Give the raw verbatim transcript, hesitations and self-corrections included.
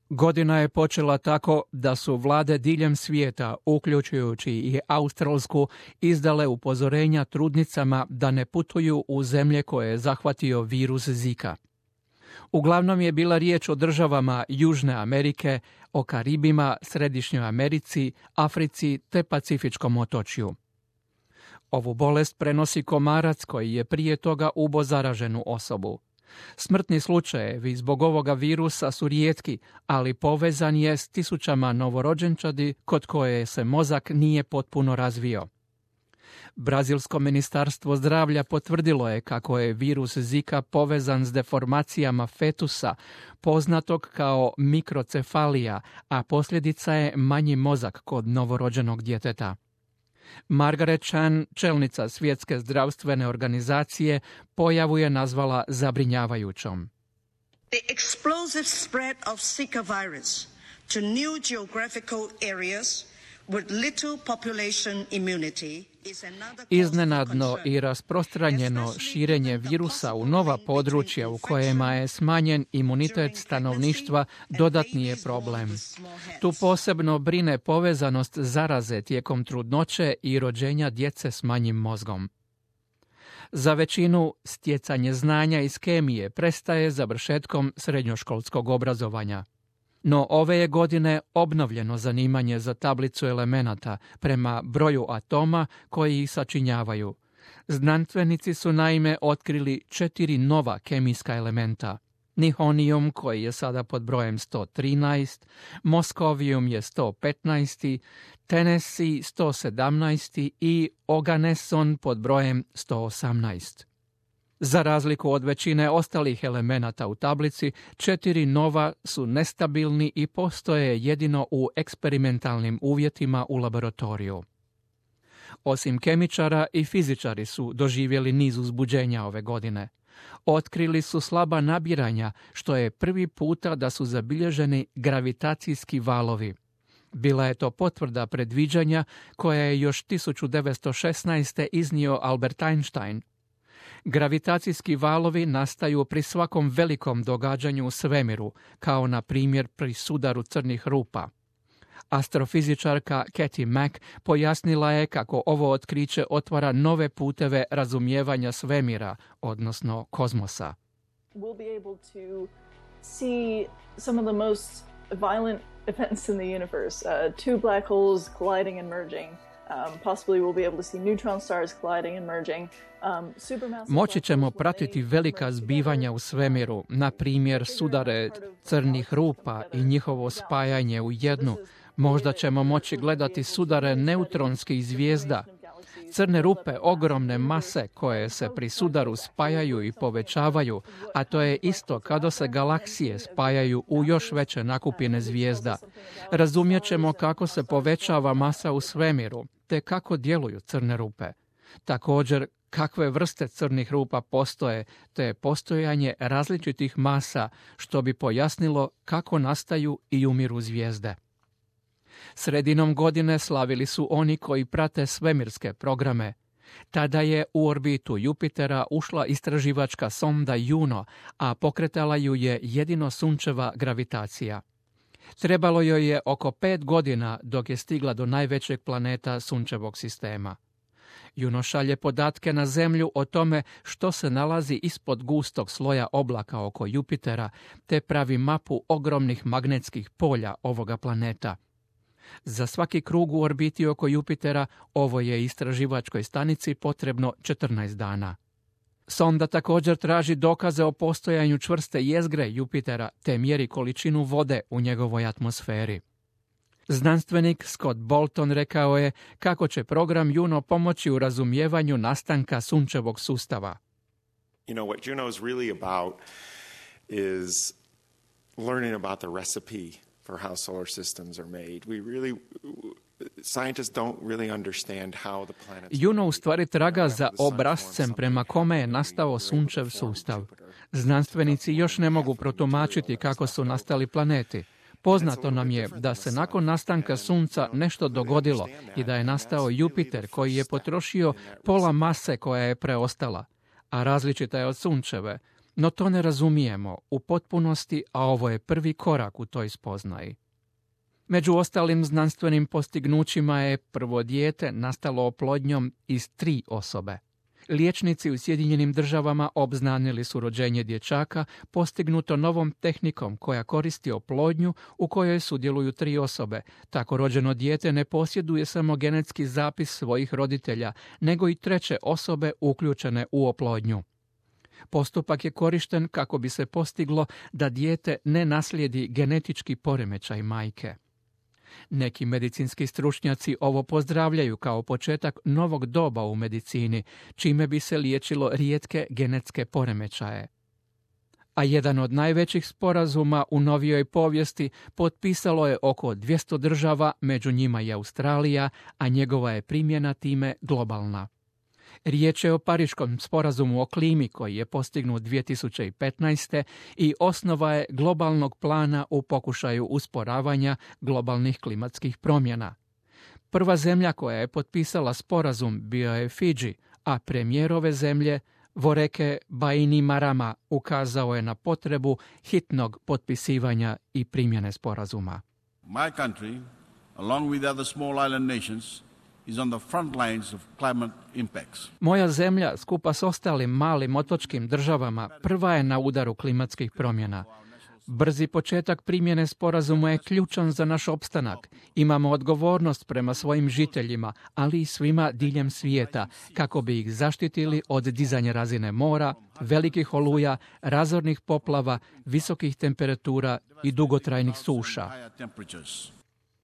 Godina je počela tako da su vlade diljem svijeta, uključujući i Australsku, izdale upozorenja trudnicama da ne putuju u zemlje koje je zahvatio virus Zika. Uglavnom je bila riječ o državama Južne Amerike, o Karibima, Središnjoj Americi, Africi te Pacifičkom otočju. Ovu bolest prenosi komarac koji je prije toga ubo zaraženu osobu. Smrtni slučajevi zbog ovoga virusa su rijetki, ali povezan je s tisućama novorođenčadi kod koje se mozak nije potpuno razvio. Brazilsko ministarstvo zdravlja potvrdilo je kako je virus Zika povezan s deformacijama fetusa, poznatog kao mikrocefalija, a posljedica je manji mozak kod novorođenog djeteta. Margaret Chan, čelnica Svjetske zdravstvene organizacije, pojavu je nazvala zabrinjavajućom. The explosive spread of Zika virus to new geographical areas with little population immunity is another. Iznenadno i rasprostranjeno širenje virusa u nova područja u kojima je smanjen imunitet stanovništva dodatni je problem. Tu posebno brine povezanost zaraze tijekom trudnoće i rođenja djece s manjim mozgom. Za većinu stjecanje znanja iz kemije prestaje završetkom srednjoškolskog obrazovanja. No ove je godine obnovljeno zanimanje za tablicu elemenata prema broju atoma koji ih sačinjavaju. Znanstvenici su naime otkrili četiri nova kemijska elementa. Nihonijum koji je sada pod brojem sto trinaest, Moskovijum je sto petnaest, Tennessee sto sedamnaest i Oganesson pod brojem sto osamnaest. Za razliku od većine ostalih elemenata u tablici, četiri nova su nestabilni i postoje jedino u eksperimentalnim uvjetima u laboratoriju. Osim kemičara i fizičari su doživjeli niz uzbuđenja ove godine. Otkrili su slaba nabiranja, što je prvi puta da su zabilježeni gravitacijski valovi. Bila je to potvrda predviđanja koja je još tisuću devetsto šesnaeste. iznio Albert Einstein. Gravitacijski valovi nastaju pri svakom velikom događanju u svemiru, kao na primjer pri sudaru crnih rupa. Astrofizičarka Katie Mack pojasnila je kako ovo otkriće otvara nove puteve razumijevanja svemira, odnosno kozmosa. We'll be able to see some of the most violent events in the universe, uh, two black holes colliding and merging. Um, possibly we'll be able to see neutron stars colliding and merging. Um, supermassive Moći ćemo pratiti velika zbivanja u svemiru, na primjer sudare crnih rupa i njihovo spajanje u jednu. Možda ćemo moći gledati sudare neutronskih zvijezda. Crne rupe, ogromne mase koje se pri sudaru spajaju i povećavaju, a to je isto kada se galaksije spajaju u još veće nakupine zvijezda. Razumjet ćemo kako se povećava masa u svemiru, te kako djeluju crne rupe. Također, kakve vrste crnih rupa postoje, te postojanje različitih masa, što bi pojasnilo kako nastaju i umiru zvijezde. Sredinom godine slavili su oni koji prate svemirske programe. Tada je u orbitu Jupitera ušla istraživačka sonda Juno, a pokretala ju je jedino sunčeva gravitacija. Trebalo joj je oko pet godina dok je stigla do najvećeg planeta sunčevog sistema. Juno šalje podatke na Zemlju o tome što se nalazi ispod gustog sloja oblaka oko Jupitera, te pravi mapu ogromnih magnetskih polja ovoga planeta. Za svaki krug u orbiti oko Jupitera ovo je istraživačkoj stanici potrebno četrnaest dana. Sonda također traži dokaze o postojanju čvrste jezgre Jupitera te mjeri količinu vode u njegovoj atmosferi. Znanstvenik Scott Bolton rekao je kako će program Juno pomoći u razumijevanju nastanka sunčevog sustava. You know, what Juno is really about is learning about the recipe for how solar systems are made. We really scientists don't really understand how the planets. Juno u stvari traga za obrascem prema kome je nastao sunčev sustav. Znanstvenici još ne mogu protumačiti kako su nastali planeti. Poznato nam je da se nakon nastanka Sunca nešto dogodilo i da je nastao Jupiter koji je potrošio pola mase koja je preostala, a različita je od Sunčeve. No to ne razumijemo u potpunosti, a ovo je prvi korak u toj spoznaji. Među ostalim znanstvenim postignućima je prvo dijete nastalo oplodnjom iz tri osobe. Liječnici u Sjedinjenim Državama obznanili su rođenje dječaka postignuto novom tehnikom koja koristi oplodnju u kojoj sudjeluju tri osobe. Tako rođeno dijete ne posjeduje samo genetski zapis svojih roditelja, nego i treće osobe uključene u oplodnju. Postupak je korišten kako bi se postiglo da dijete ne naslijedi genetički poremećaj majke. Neki medicinski stručnjaci ovo pozdravljaju kao početak novog doba u medicini, čime bi se liječilo rijetke genetske poremećaje. A jedan od najvećih sporazuma u novijoj povijesti potpisalo je oko dvjesto država, među njima i Australija, a njegova je primjena time globalna. Riječ je o Pariškom sporazumu o klimi koji je postignut dvije tisuće petnaeste. i osnova je globalnog plana u pokušaju usporavanja globalnih klimatskih promjena. Prva zemlja koja je potpisala sporazum bio je Fidži, a premijer ove zemlje, Voreke Bainimarama, ukazao je na potrebu hitnog potpisivanja i primjene sporazuma. My country, along with other small island nations, is on the front lines of climate impacts. Moja zemlja, skupa s ostalim malim otočkim državama, prva je na udaru klimatskih promjena. Brzi početak primjene sporazuma je ključan za naš opstanak. Imamo odgovornost prema svojim žiteljima, ali i svima diljem svijeta, kako bi ih zaštitili od dizanja razine mora, velikih oluja, razornih poplava, visokih temperatura i dugotrajnih suša.